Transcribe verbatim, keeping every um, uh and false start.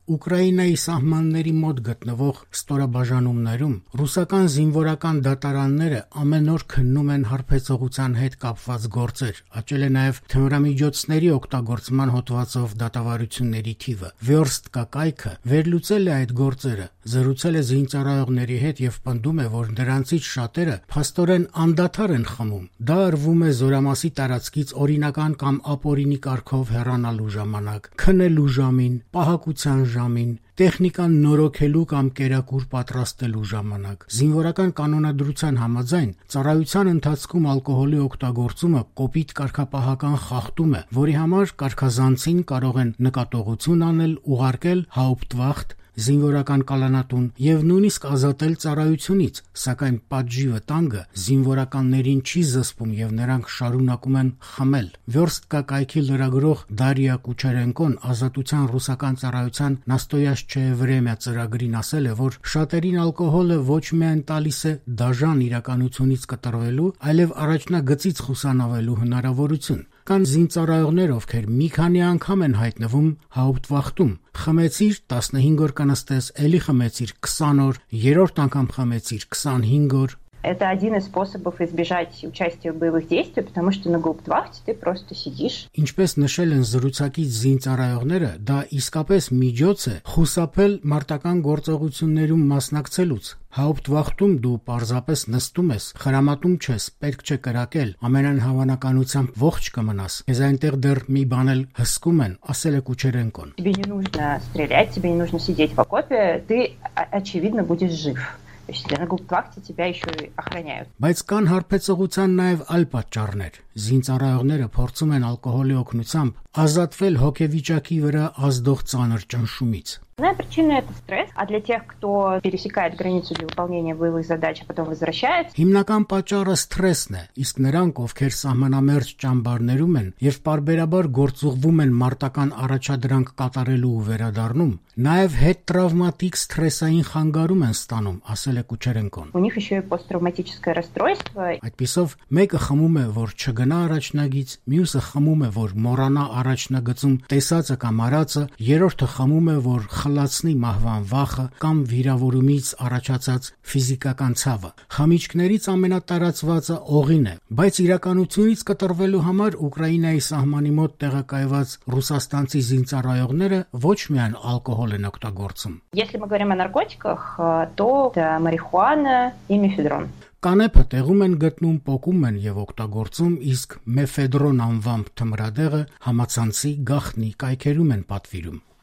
Ուկրաինայի սահմանների մոտ գտնվող ստորաբաժանումներում ռուսական զինվորական դատարանները ամեն օր քննում են հարբեցողության հետ կապված գործեր, աճել է նաև թմրամիջոցների օգտագործման հոդվածով դատավարությունների թիվը։ Վերստկա կայքը վերլուծել է այդ գործերը, զրուցել է զինծառայողների հետ եւ պնդում է, որ նրանցից շատերը փաստորեն անդադար են խմում։ Դա արվում է զորամասի տարածքից օրինական կամ ապօրինի կարգով հեռանալու ժամանակ, քնելու ժամին, պահակության ժամին, տեխնիկան նորոգելու կամ կերակուր պատրաստելու ժամանակ։ Զինվորական կանոնադրության համաձայն ծառայության ընթացքում ալկոհոլի օգտագործումը կոպիտ կարգապահական խախտում է, որի համար կարգազանցին կարող են նկատողություն անել, ուղարկել Hauptwacht զինվորական կալանատուն եւ նույնիսկ ազատել ծառայությունից, սակայն պատժի վտանգը զինվորականներին չի զսպում եւ նրանք շարունակում են խմել։ Վերստկա կայքի լրագրող Դարիա Կուչերենկոն ազատության ռուսական ծառայության Նաստոյաշչե Վրեմյա ծրագրին ասել է, որ շատերին ալկոհոլը ոչ միայն տալիս է դաժան իրականությունից կտրվելու, այլև առաջնագծից խուսանավելու հնարավորություն։ Կան զինծառայողներ, ովքեր մի քանի անգամ են հայտնվում Hauptwacht-ում։ Խմեցիր տասնհինգ օր կնստես, էլի խմեցիր քսան օր, երրորդ անգամ խմեցիր քսանհինգ օր։ Это один из способов избежать участия в боевых действиях, потому что на гауптвахте ты просто сидишь. Ինչպես նշել են զրուցակից զինծառայողները, դա իսկապես միջոց է խուսափել մարտական գործողություններում մասնակցելուց։ Hauptwacht-ում դու պարզապես նստում ես, խրամատում չես, պետք չէ կրակել, ամենայն հավանականությամբ ողջ կմնաս։ Ես այնտեղ դեռ մի բան էլ հսկում են, ասել է Կուչերենկոն։ Тебе не нужно стрелять, тебе не нужно сидеть в окопе, ты очевидно будешь жив. На гауптвахте тебя еще и охраняют. Բայց կան հարբեցողության նաև այլ պատճառներ։ Զինծառայողները փորձում են ալկոհոլի օգնությամբ ազատվել հոգեվիճակի վրա ազդող ծանր ճնշումից։ Основная причина – это стресс, а для тех, кто пересекает границу для выполнения боевых задач, а потом возвращается… Հիմնական պատճառը սթրեսն է, իսկ նրանք, ովքեր սահմանամերձ ճամբարներում են եւ պարբերաբար գործուղվում են մարտական առաջադրանք կատարելու ու վերադառնում, նաև հետտրավմատիկ սթրեսային խանգարում են ստանում, ասել է Կուչերենկոն։ У них еще и посттравматическое расстройство. Այդպիսով մեկը խմում է, որ չգնա առաջնագից, մյուսը խմում է, որ մոռանա առաջնագծում տեսածը կամ արածը, երրորդը խմում է, որ խլացնի մահվան վախը կամ վիրավորումից առաջացած ֆիզիկական ցավը։ Խմիչքներից ամենատարածվածը օղին է, բայց իրականությունից կտրվելու համար Ուկրաինայի սահմանի մոտ տեղակայված ռուսաստանցի զինծառայողները ոչ միայն ալկոհոլ են օգտագործում։ Если мы говорим о наркотиках, то это марихуана и мефедрон. Կանեփը տեղում են գտնում, պոկում են եւ օգտագործում, իսկ մեֆեդրոն անվամբ թմրադեղը համացանցի գաղտնի կայքերում են պատվիրում։